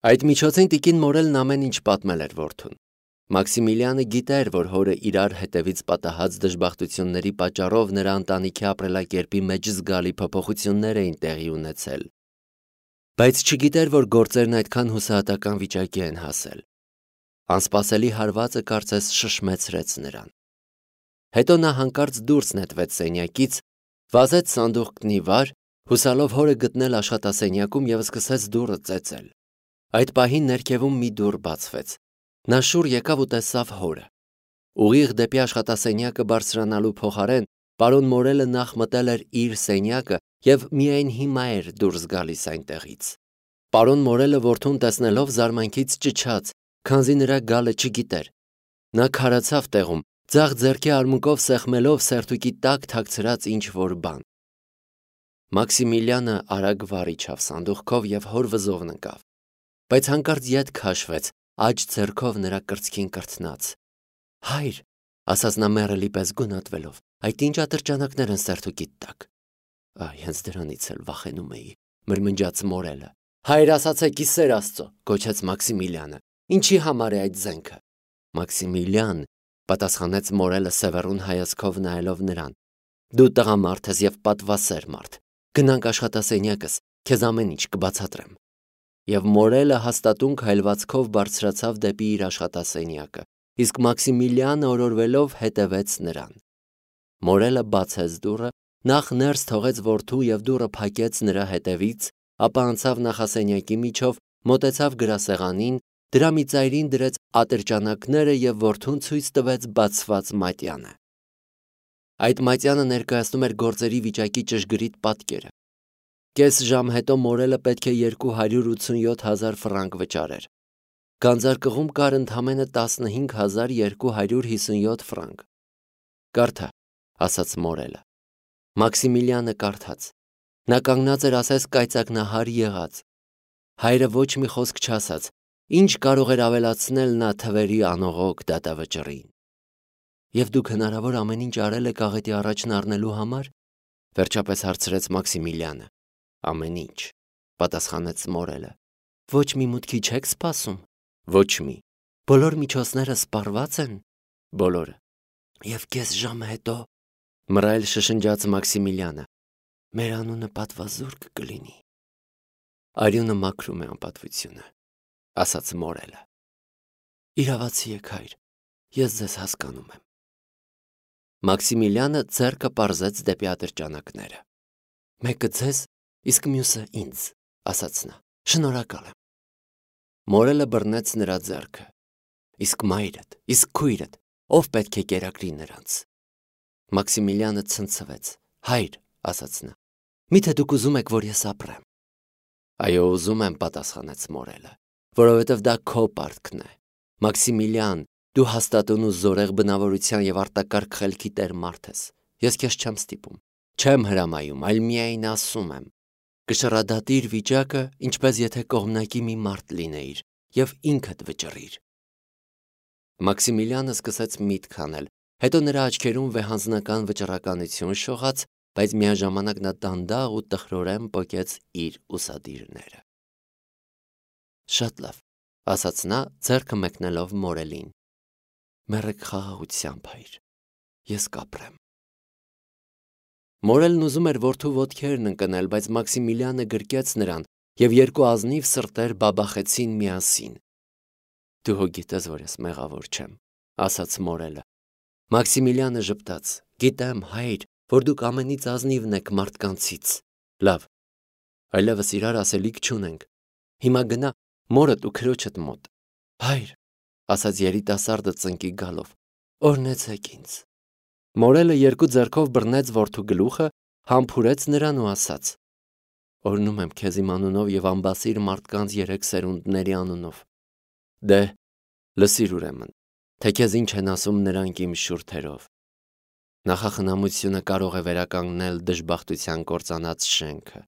Այդ միջոցին տիկին Մորելն ամեն ինչ պատմել էր որդուն։ Մաքսիմիլիանը գիտեր, որ հորը իրար հետևից պատահած դժբախտությունների պատճառով նրա ընտանիքի ապրելակերպի մեջ զգալի փոփոխություններ էին տեղի ունեցել, բայց չգիտեր, որ գործերն այդքան հուսահատական վիճակի են հասել։ Անսպասելի հարվածը կարծես շշմեցրեց նրան։ Հետո նա հանկարծ դուրս նետվեց սենյակից, վազեց սանդուղքն ի վար, հուսալով հորը գտնել աշխատասենյակում և սկսեց դուռը ծեծել։ Այդ պահին ներքևում մի դուռ բացվեց։ Նա շուռ եկավ ու տեսավ հորը։ Ուղիղ դեպի աշխատասենյակը բարձրանալու փոխարեն պարոն Մորելը նախ մտել էր իր սենյակը և միայն հիմա էր դուրս գալիս այնտեղից։ Պարոն Մորելը որդուն տեսնելով զարմանքից ճչաց, քանզի նրա գալը չգիտեր։ Նա քարացավ տեղում, ձախ ձեռքի արմունկով սեղմելով սերտուկի տակ թաքցրած ինչ-որ բան։ Մաքսիմիլիանը արագ վար իջավ սանդուղքով և հոր վզովն ընկավ, բայց հանկարծ ետ քաշվեց, աջ ձեռքով նրա կրծքին կրթնաց։ Հայր, ասաց նա մեռելի պես գունատվելով, այդ ինչ ատրճանակներ են սերտուկիդ տակ։ Այ, հենց դրանից էլ վախենում էի, մրմնջաց Մորելը։ Հայր, ասացեք, ի սեր Աստծո, գոչեց Մաքսիմիլիանը, ինչի համար է այդ զենքը։ Մաքսիմիլիան, պատասխանեց Մորելը սևեռուն հայացքով նայելով նրան, դու տղամարդ ես և պատվասեր մարդ, գնանք աշխատասենյակս, քեզ ամեն ինչ կբացատրեմ։ Եվ Մորելը հաստատուն քայլվածքով բարձրացավ դեպի իր աշխատասենյակը, իսկ Մաքսիմիլիանը օրորվելով հետևեց նրան։ Մորելը բացեց դուռը, նախ ներս թողեց որդու և դուռը փակեց նրա հետևից, ապա անցավ նախասենյակի միջով, մոտեցավ գրասեղանին, դրա մի ծայրին դրեց ատրճանակները և որդուն ցույց տվեց բացված մատյանը։ Այդ մատյանը ներկայացնում էր գործերի վիճակի ճշգրիտ պատկերը։ Կես ժամ հետո Մորելը պետք է 287,000 ֆրանկ վճարեր։ Գանձարկղում կար ընդամենը 15,257 ֆրանկ։ Կարդա, ասաց Մորելը։ Մաքսիմիլիանը կարդաց։ Նա կանգնած էր ասես կայծակնահար եղած։ Հայրը ոչ մի խոսք չասաց, ինչ կարող էր ավելացնել նա թվերի անողոք դատավճռին։ Եվ դուք հնարավոր ամեն ինչ արել եք աղետի առաջն առնելու համար, վերջապես հարցրեց Մաքսիմիլիանը։ Ամեն ինչ, պատասխանեց Մորելը։ Ոչ մի մուտքի չեք սպասում։ Ոչ մի։ Բոլոր միջոցները սպառված են։ Բոլորը։ Եվ կես ժամ հետո, մռայլ շշնջաց Մաքսիմիլիանը, մեր անունը պատվազուրկ կլինի։ Արյունը մաքրում է անպատվությունը, ասաց Մորելը։ Իրավացի եք, հայր, ես ձեզ հասկանում եմ։ Մաքսիմիլիանը ձեռքը պարզեց դեպի ատրճանակները։ Մեկը ձեզ, իսկ մյուսը ինձ, ասաց նա, շնորհակալ եմ։ Մորելը բռնեց նրա ձեռքը։ Իսկ մայրդ, իսկ քույրդ, ով պետք է կերակրի նրանց։ Մաքսիմիլիանը ցնցվեց։ Հայր, ասաց նա, միթե դուք ուզում եք, որ ես ապրեմ։ Այո, ուզում եմ, պատասխանեց Մորելը, որովհետև դա քո պարտքն է։ Մաքսիմիլիան, դու հաստատուն ու զորեղ բնավորության և արտակարգ խելքի տեր մարդ ես։ Ես քեզ չեմ ստիպում, չեմ հրամայում, այլ միայն ասում եմ։ Կշռադատիր վիճակը, ինչպես եթե կողմնակի մի մարդ լինեիր, և ինքդ վճռիր։ Մաքսիմիլիանը սկսեց միտք անել, հետո նրա աչքերում վեհանձնական վճռականություն շողաց, բայց միաժամանակ նա դանդաղ ու տխրորեն պոկեց իր ուսադիրները։ Շատ լավ, ասաց նա, ձեռքը մեկնելով Մորելին։ Մեռեք խաղաղությամբ, հայր, ես կապրեմ։ Մորելն ուզում էր որդու ոտքերն ընկնել, բայց Մաքսիմիլիանը գրկեց նրան, և երկու ազնիվ սրտեր բաբախեցին միասին։ Դու հո գիտես, որ ես մեղավոր չեմ, ասաց Մորելը։ Մաքսիմիլիանը ժպտաց. Գիտեմ, հայր, որ դուք ամենից ազնիվն եք մարդկանցից։ Լավ, այլևս իրար ասելիք չունենք։ Հիմա գնա մորդ ու քրոջդ մոտ։ Հայր, ասաց երիտասարդը ծնկի գալով, օրհնեցեք ինձ։ Մորելը երկու ձեռքով բռնեց որդու գլուխը, համբուրեց նրան ու ասաց. Օրհնում եմ քեզ իմ անունով և անբասիր մարդկանց 3 սերունդների անունով։ Դե, լսիր ուրեմն, թե քեզ ինչ են ասում նրանք իմ շուրթերով։ Նախախնամությունը կարող է վերականգնել դժբախտության կործանած շենքը։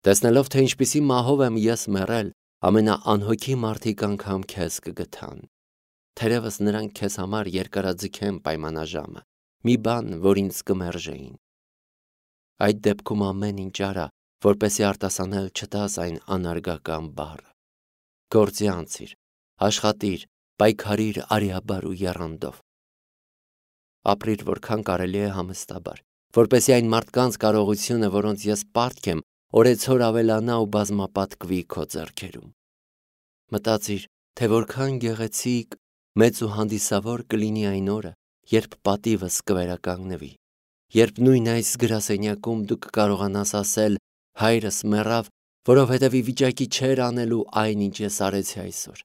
Տեսնելով, թե ինչպիսի մահով եմ ես մեռել, ամենաանհոգի մարդիկ անգամ քեզ կգթան։ Թերևս նրանք քեզ համար երկարաձգեն պայմանաժամը, մի բան, որ ինձ կմերժեին։ Այդ դեպքում ամեն ինչ արա, որպեսզի արտասանել չտաս այն անարգական բառը։ Գործի անցիր, աշխատիր, պայքարիր արիաբար ու եռանդով։ Ապրիր որքան կարելի է համստաբար, որպեսզի այն մարդկանց կարողությունը, որոնց ես պարտք եմ, օրեցօր ավելանա ու բազմապատկվի քո ձեռքերում։ Մտածիր, թե որքան գեղեցիկ, մեծ ու հանդիսավոր կլինի այն օրը, երբ պատիվս կվերականգնվի, երբ նույն այս գրասենյակում դու կկարողանաս ասել. հայրս մեռավ, որովհետև ի վիճակի չէր անելու այն, ինչ ես արեցի այսօր,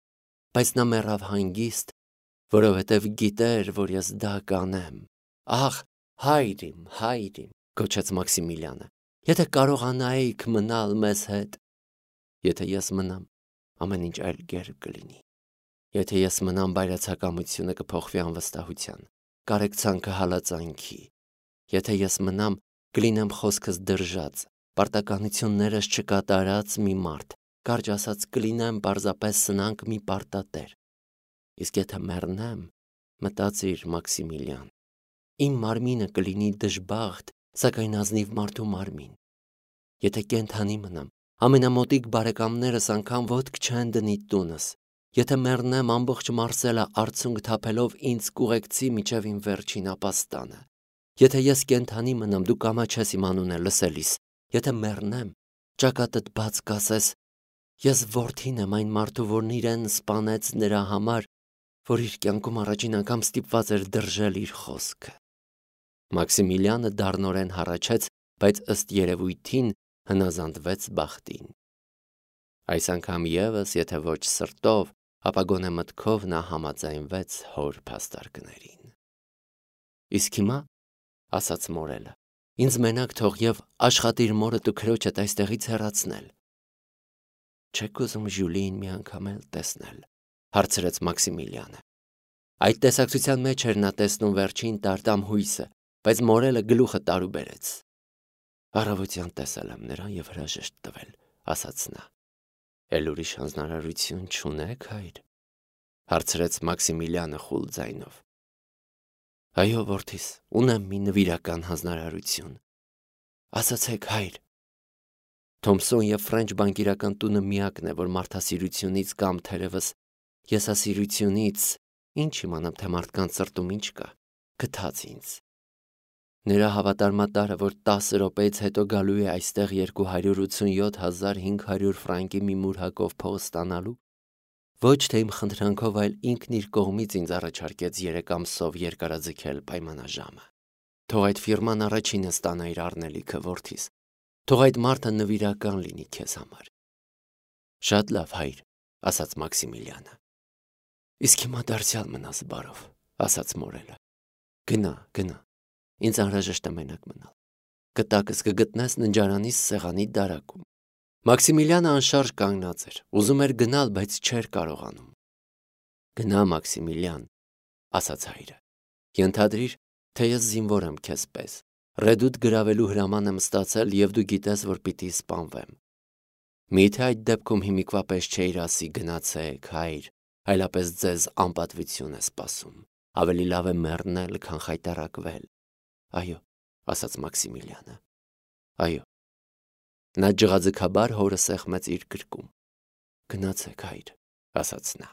բայց նա մեռավ հանգիստ, որովհետև գիտեր, որ ես դա կանեմ։ Ախ, հայր իմ, գոչեց Մաքսիմիլյանը, եթե կարողանայիք մնալ մեզ հետ։ Եթե ես մնամ, ամեն ինչ այլ կերպ կլինի։ Եթե ես մնամ, բայրացակամությունը կփոխվի անվստահության, կարեկցանքը հալածանքի։ Եթե ես մնամ, կլինեմ խոսքս դրժած, պարտականություններս չկատարած մի մարդ, կարճ ասած կլինեմ պարզապես սնանկ մի պարտատեր։ Իսկ եթե մեռնեմ, մտածիր, Մաքսիմիլյան, իմ մարմինը կլինի դժբախտ, սակայն ազնիվ մարդու մարմին։ Եթե կենդանի մնամ, ամենամոտիկ բարեկամներս անգամ ոտք չեն դնի տունս։ Եթե մեռնեմ, ամբողջ Մարսելը արցունք թափելով ինձ կուղեկցի մինչև իմ վերջին ապաստանը։ Եթե ես կենդանի մնամ, դու կամաչես իմ անունը լսելիս։ Եթե մեռնեմ, ճակատդ բաց կասես. ես որդին եմ այն մարդու, որն իրեն սպանեց նրա համար, որ իր կյանքում առաջին անգամ ստիպված էր դրժել իր խոսքը։ Մաքսիմիլյանը դառնորեն հառաչեց, բայց ըստ երևույթին հնազանդվեց բախտին։ Այս անգամ ևս, եթե ոչ սրտով, ապա գոնե մտքով նա համաձայնվեց հոր փաստարկներին։ Իսկ հիմա, ասաց մորելը, ինձ մենակ թող եւ աշխատիր մորդ ու քրոջդ այստեղից հեռացնել։ Չեք ուզում Ժյուլիին մի անգամ էլ տեսնել, հարցրեց Մաքսիմիլյանը։ Այդ տեսակցության մեջ էր նա տեսնում վերջին տարտամ հույսը, բայց մորելը գլուխը տարուբերեց։ Առավոտյան տեսել եմ նրան եւ հրաժեշտ տվել, ասաց նա։ Էլ ուրիշ հանձնարարություն չունեք, հայր, հարցրեց Մաքսիմիլյանը խուլ ձայնով։ Այո, որդիս, ունեմ մի նվիրական հանձնարարություն։ Ասացեք, հայր։ Թոմսոն եւ Ֆրենչ բանկիրական տունը միակն է, որ մարդասիրությունից կամ թերևս եսասիրությունից, ինչ իմանամ, թե մարդկանց սրտում ինչ կա, գթած ինձ։ Նրա հավատարմատարը, որ 10 րոպեից հետո գալու է այստեղ 287,500 ֆրանկի մի մուրհակով փող ստանալու, ոչ թե իմ խնդրանքով, այլ ինքն իր կողմից ինձ առաջարկեց 3 ամսով երկարաձգել պայմանաժամը։ Թող այդ ֆիրման առաջինը ստանա իր առնելիքը, որդիս։ Թող այդ մարդը նվիրական լինի քեզ համար։ Շատ լավ, հայր, ասաց Մաքսիմիլյանը։ Իսկ հիմա դարձյալ մնաս բարով, ասաց մորելը։ Գնա, ինձ անհրաժեշտ է մենակ մնալ։ Կտակս կգտնես ննջարանի սեղանի դարակում։ Մաքսիմիլյանը անշարժ կանգնած էր, ուզում էր գնալ, բայց չէր կարողանում։ Գնա, Մաքսիմիլյան, ասաց հայրը։ Ենթադրիր, թե ես զինվոր եմ քեզ պես։ Ռեդուտ գրավելու հրաման եմ ստացել եւ դու գիտես, որ պիտի սպանվեմ։ Միթե այդ դեպքում հիմիկվա պես չէիր ասի գնացեք, հայր, այլապես ձեզ անպատվություն է սպասում։ Ավելի լավ է մեռնել, քան խայտառակվել։ Այո, ասաց Մաքսիմիլյանը։ Այո։ Նա ջղաձգաբար հորը սեղմեց իր գրկում։ Գնացեք, հայր, ասաց նա։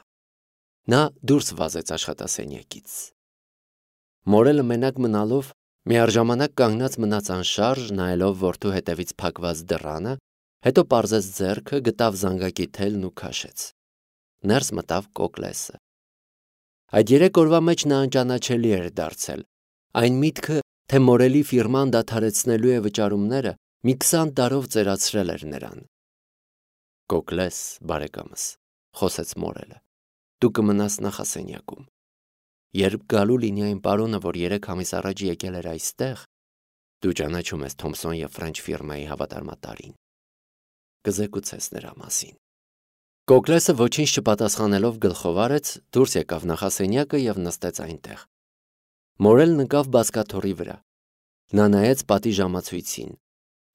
Նա դուրս վազեց աշխատասենյակից։ Մորելը մենակ մնալով միառժամանակ կանգնած մնաց անշարժ, նայելով որդու հետևից փակված դռանը, հետո պարզեց ձեռքը, գտավ զանգակի թելն ու քաշեց։ Ներս մտավ Կոկլեսը։ Այդ 3 օրվա մեջ նա անճանաչելի էր դարձել։ Այն միտքը, թե մորելի ֆիրման դադարեցնելու է վճարումները, մի 20 տարով ծերացրել էր նրան։ Կոկլես, բարեկամս, խոսեց մորելը, դու կմնաս նախասենյակում։ Երբ գալու լինի այն պարոնը, որ 3 ամիս առաջ եկել էր այստեղ, դու ճանաչում ես Թոմսոն եւ Ֆրենչ ֆիրմայի հավատարմատարին։ Կզեկուցես նրա մասին։ Կոկլեսը ոչինչ չպատասխանելով գլխով արեց, դուրս եկավ նախասենյակը եւ նստեց այնտեղ։ Մորելն ընկավ բազկաթոռի վրա։ Նա նայեց պատի ժամացույցին։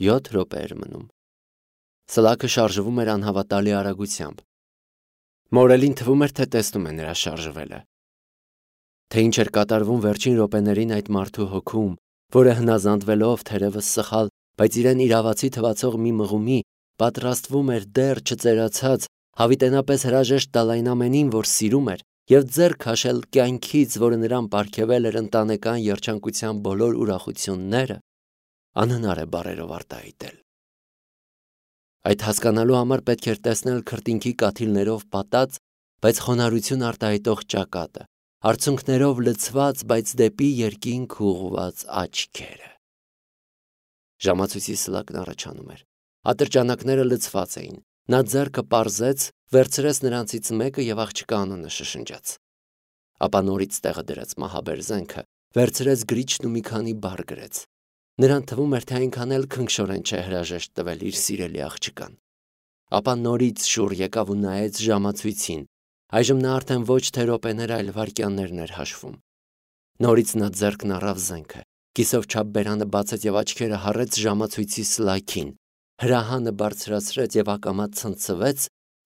7 րոպե էր մնում։ Սլաքը շարժվում էր անհավատալի արագությամբ։ Մորելին թվում էր, թե տեսնում է նրա շարժվելը։ Թե ինչ էր կատարվում վերջին րոպեներին այդ մարդու հոգում, որը հնազանդվելով թերևս սխալ, բայց իրեն իրավացի թվացող մի մղումի, պատրաստվում էր դեռ չծերացած, հավիտենապես հրաժեշտ տալ այն ամենին, որ սիրում էր, և ձեռք քաշել կյանքից, որը նրան պարգևել էր ընտանեկան երջանկության բոլոր ուրախությունները, անհնար է բառերով արտահայտել։ Այդ հասկանալու համար պետք էր տեսնել քրտինքի կաթիլներով պատած, բայց խոնարհություն արտահայտող ճակատը, արցունքներով լցված, բայց դեպի երկինք ուղղված աչքերը։ Ժամացույցի սլակն առաջանում էր։ Ատրճանակները լցված էին։ Նա ձեռքը պարզեց, վերցրեց նրանցից մեկը և աղջկա անունը շշնջաց։ Ապա նորից տեղը դրեց մահաբեր զենքը, վերցրեց գրիչն ու մի քանի բառ գրեց։ Նրան թվում էր, թե այնքան էլ քնքշորեն չէ հրաժեշտ տվել իր սիրելի աղջկան։ Ապա նորից շուռ եկավ ու նայեց ժամացույցին։ Այժմ նա արդեն ոչ թե րոպեներ, այլ վայրկյաններն էր հաշվում։ Նորից նա ձեռքն առավ զենքը, կիսով չափ բերանը բացեց և աչքերը հառեց ժամացույցի սլաքին, հրահանը բարձրացրեց և ակամա ցնցվեց,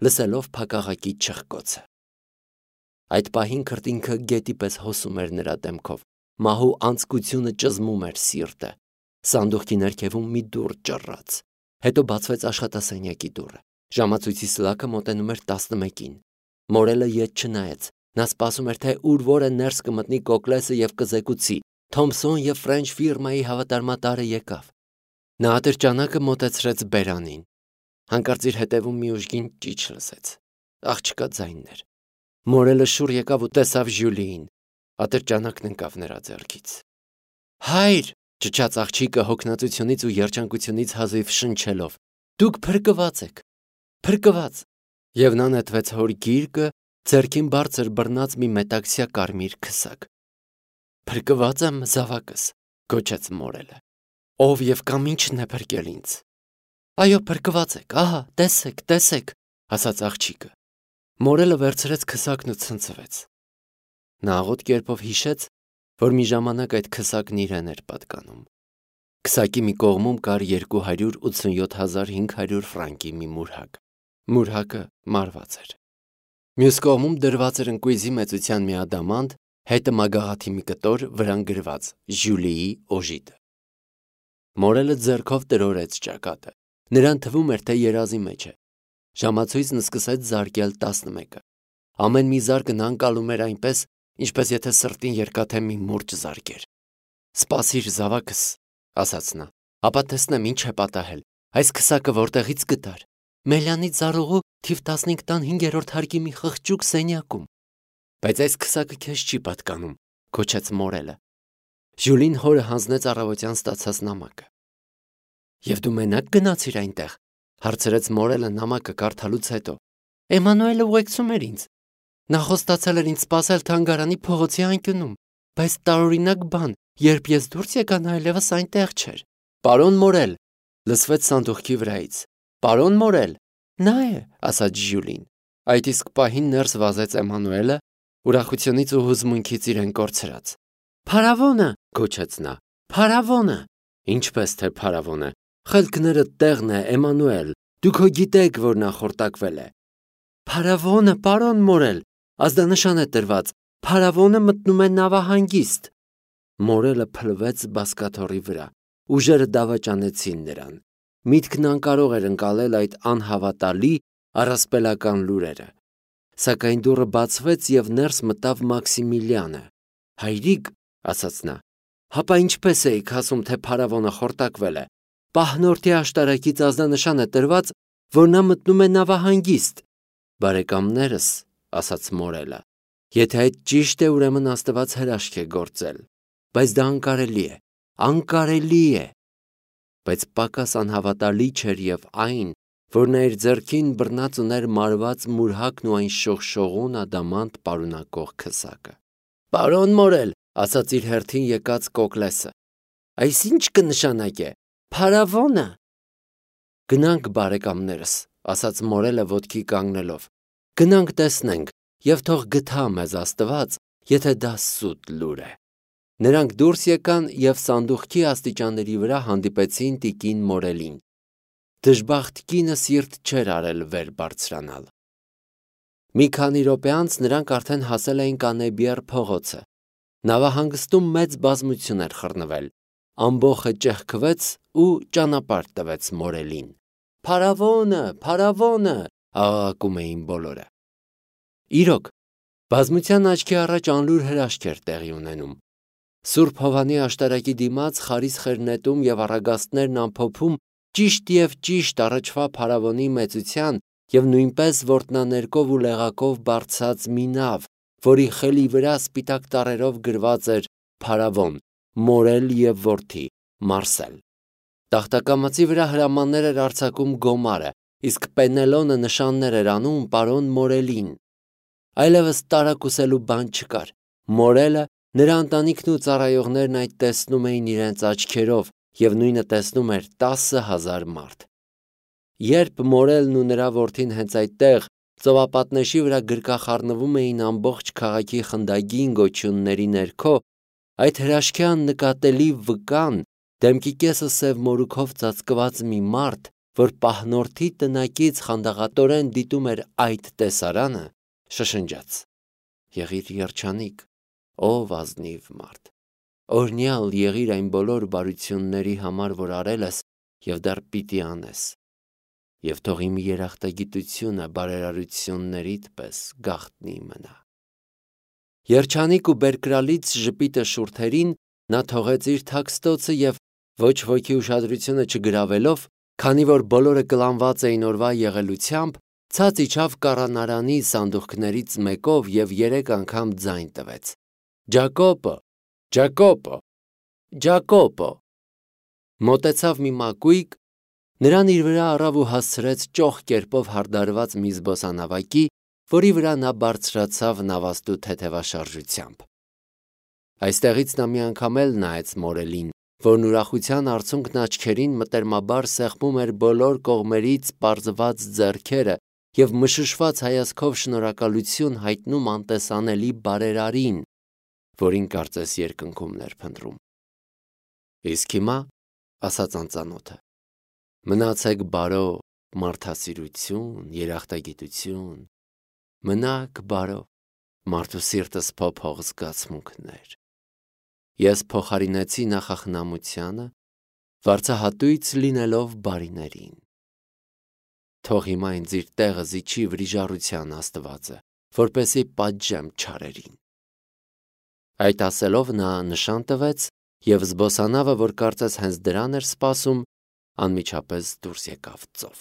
լսելով փակաղակի չխկոցը։ Այդ պահին քրտինքը գետի պես հոսում էր նրա դեմքով, մահու անձկությունը ճզմում էր սիրտը։ Սանդուղքի ներքևում մի դուռ ճռռաց, հետո բացվեց աշխատասենյակի դուռը։ Ժամացույցի սլաքը մոտենում էր 11-ին։ Մորելը ետ չնայեց։ Նա սպասում էր, թե ուր որը ներս կմտնի Կոկլեսը և կզեկուցի. Թոմփսոն և Ֆրենչ ֆիրմայի հավատարմատարը եկավ։ Նա ատրճանակը մոտեցրեց բերանին։ Հանկարծ իր հետևում մի ուժգին ճիչ լսեց։ Աղջկա ձայնն էր։ Մորելը շուռ եկավ ու տեսավ Ժյուլիին։ Ատրճանակն ընկավ նրա ձեռքից։ Հայր, ճչաց աղջիկը հոգնածությունից ու երջանկությունից հազիվ շնչելով։ Դուք փրկված եք, փրկված։ Եվ նա նետվեց հոր գիրկը, ձեռքին բարձր բռնած մի մետաքսյա կարմիր քսակ։ Փրկված եմ, զավակս, գոչեց Մորելը։ Ով և կամ ինչն է փրկել ինձ։ Այո, փրկված եք, ահա, տեսեք, տեսեք, ասաց աղջիկը։ Մորելը վերցրեց քսակն ու ցնցվեց։ Նա աղոտ կերպով հիշեց, որ մի ժամանակ այդ քսակն իրեն էր պատկանում։ Քսակի մի կողմում կար 287,500 ֆրանկի մի մուրհակ։ Մուրհակը մարված էր։ Մյուս կողմում դրված էր ընկույզի մեծության մի ադամանդ, հետը մագաղաթի մի կտոր, վրան գրված Ժյուլիի օժիտը։ Մորելը ձեռքով տրորեց ճակատը։ Նրան թվում էր, թե երազի մեջ է։ Ժամացույցն սկսեց զարկել 11-ը։ Ամեն մի զարկն անկալում էր այնպես, ինչպես եթե սրտին երկաթե մի մուրճ զարկեր։ Սպասիր, զավակս, ասաց նա, ապա տեսնեմ ինչ է պատահել։ Այս քսակը որտեղից գտար։ Մելյանի ծառուղու թիվ 15 տան 5-րդ հարկի մի խղճուկ սենյակում։ Բայց այս քսակը քեզ չի պատկանում, գոչեց Մորելը։ Ժյուլին հորը հանձնեց առավոտյան ստացած նամակը։ Եվ դու մենակ գնացիր այնտեղ, հարցրեց Մորելը նամակը կարդալուց հետո։ Էմանուելը ուղեկցում էր ինձ։ Նա խոստացել էր ինձ սպասել թանգարանի փողոցի անկյունում, բայց տարօրինակ բան, երբ ես դուրս եկա, նա այլևս այնտեղ չէր։ Պարոն Մորել, լսվեց սանդուղքի վրայից։ Պարոն Մորել, նա է, ասաց Ժյուլին։ Այդ իսկ պահին ներս վազեց Էմանուելը, ուրախությունից ու հուզմունքից իրեն կորցրած։ Փարավոնը, գոչեց նա։ Փարավոնը։ Ինչպես թե փարավոնը։ Խելքները տեղն է, Էմանուել։ Դուք հո գիտեք, որ նա խորտակվել է։ Փարավոնը, պարոն Մորել, ազդանշան է տրված։ Փարավոնը մտնում է նավահանգիստ։ Մորելը փլվեց բազկաթոռի վրա։ Ուժերը դավաճանեցին նրան։ Միտքն անկարող էր ընկալել այդ անհավատալի առասպելական լուրերը։ Սակայն դուռը բացվեց և ներս մտավ Մաքսիմիլիանը։ Հայրիկ, ասաց նա, հապա ինչպես էիք ասում, թե փարավոնը խորտակվել է։ Պահնորդի աշտարակից ազդանշան է տրված, որ նա մտնում է նավահանգիստ։ Բարեկամներս, ասաց Մորելը, եթե այդ ճիշտ է, ուրեմն Աստված հրաշք է գործել, բայց դա անկարելի է, անկարելի է։ Բայց պակաս անհավատալի չէր և այն, որ նա իր ձեռքին բռնած ուներ մարված մուրհակն ու այն շողշողուն ադամանդ պարունակող քսակը։ Պարոն Մորել, ասաց իր հերթին եկած Կոկլեսը, այս ինչ կնշանակե։ Փարավոնը։ Գնանք, բարեկամներս, ասաց Մորելը ոտքի կանգնելով։ Գնանք տեսնենք, և թող գթա մեզ Աստված, եթե դա սուտ լուր է։ Նրանք դուրս եկան և սանդուղքի աստիճանների վրա հանդիպեցին տիկին Մորելին։ Դժբախտ կինը սիրտ չէր արել վեր բարձրանալ։ Մի քանի րոպե անց նրանք արդեն հասել էին Կանեբիեռ փողոցը։ Նավահանգստում մեծ բազմություն էր խռնվել։ Ամբոխը ճեղքվեց ու ճանապարհ տվեց Մորելին։ Փարավոնը, փարավոնը, աղաղակում էին բոլորը։ Իրոք, բազմության աչքի առաջ անլուր հրաշք էր տեղի ունենում։ Սուրբ Հովհանի աշտարակի դիմաց խարիսխ էր նետում և առագաստներն ամփոփում ճիշտ և ճիշտ առաջվա փարավոնի մեծության և նույնպես որտնաներկով ու լեղակով բարձած մի նավ, որի խելի վրա սպիտակ տառերով գրված էր «Փարավոն, մորել և որդի, Մարսել»։ Տախտակամածի վրա հրամաններ էր արձակում Գոմարը, իսկ Պենելոնը նշաններ էր անում պարոն Մորելին։ Այլևս տարակուսելու բան չկար։ Մորելը, նրա ընտանիքն ու ծառայողներն այդ տեսնում էին իրենց աչքերով և նույնը տեսնում էր 10,000 մարդ։ Երբ Մորելն ու նրա որդին հենց այդտեղ ծովապատնեշի վրա գրկախառնվում էին ամբողջ քաղաքի խնդագին գոչյունների ներքո, այդ հրաշքի աննկատելի վկան, դեմքի կեսը սև մորուքով ծածկված մի մարդ, որ պահնորդի տնակից խանդաղատորեն դիտում էր այդ տեսարանը, շշնջաց. «Եղիր երջանիկ, ով ազնիվ մարդ, օրհնյալ եղիր այն բոլոր բարությունների համար, որ արել ես և դեռ պիտի անես, և թող իմ երախտագիտությունը բարերարություններիդ պես գաղտնի մնա»։ Երջանիկ ու բերկրալից ժպիտը շուրթերին նա թողեց իր թաքստոցը և ոչ ոքի ուշադրությունը չգրավելով, քանի որ բոլորը կլանված էին օրվա եղելությամբ, ցած իջավ կառանարանի սանդուղքներից մեկով և 3 անգամ ձայն տվեց. «Ջակոպո, Ջակոպո, Ջակոպո»։ Մոտեցավ մի մակույկ, նրան իր վրա առավ ու հասցրեց ճոխ կերպով հարդարված մի զբոսանավակի, որի վրա նա բարձրացավ նավաստու թեթևաշարժությամբ։ Այստեղից նա մի անգամ էլ նայեց Մորելին, որն ուրախության արցունքն աչքերին մտերմաբար սեղմում էր բոլոր կողմերից պարզված ձեռքերը և մշուշված հայացքով շնորհակալություն հայտնում անտեսանելի բարերարին, որին կարծես երկնքումն էր փնտրում։ «Իսկ հիմա, — ասաց անծանոթը, — մնացեք բարով, մարդասիրություն, երախտագիտություն, մնաք բարով, մարդու սիրտս փոփող զգացմունքներ։ Ես փոխարինեցի նախախնամությանը, վարձահատույց լինելով բարիներին։ Թող հիմա ինձ իր տեղը զիջի վրիժառության Աստվածը, որպեսզի պատժեմ չարերին»։ Այդ ասելով նա նշան տվեց, և զբոսանավը, որ կարծես հենց դրան էր սպասում, անմիջապես դուրս եկավ ծով։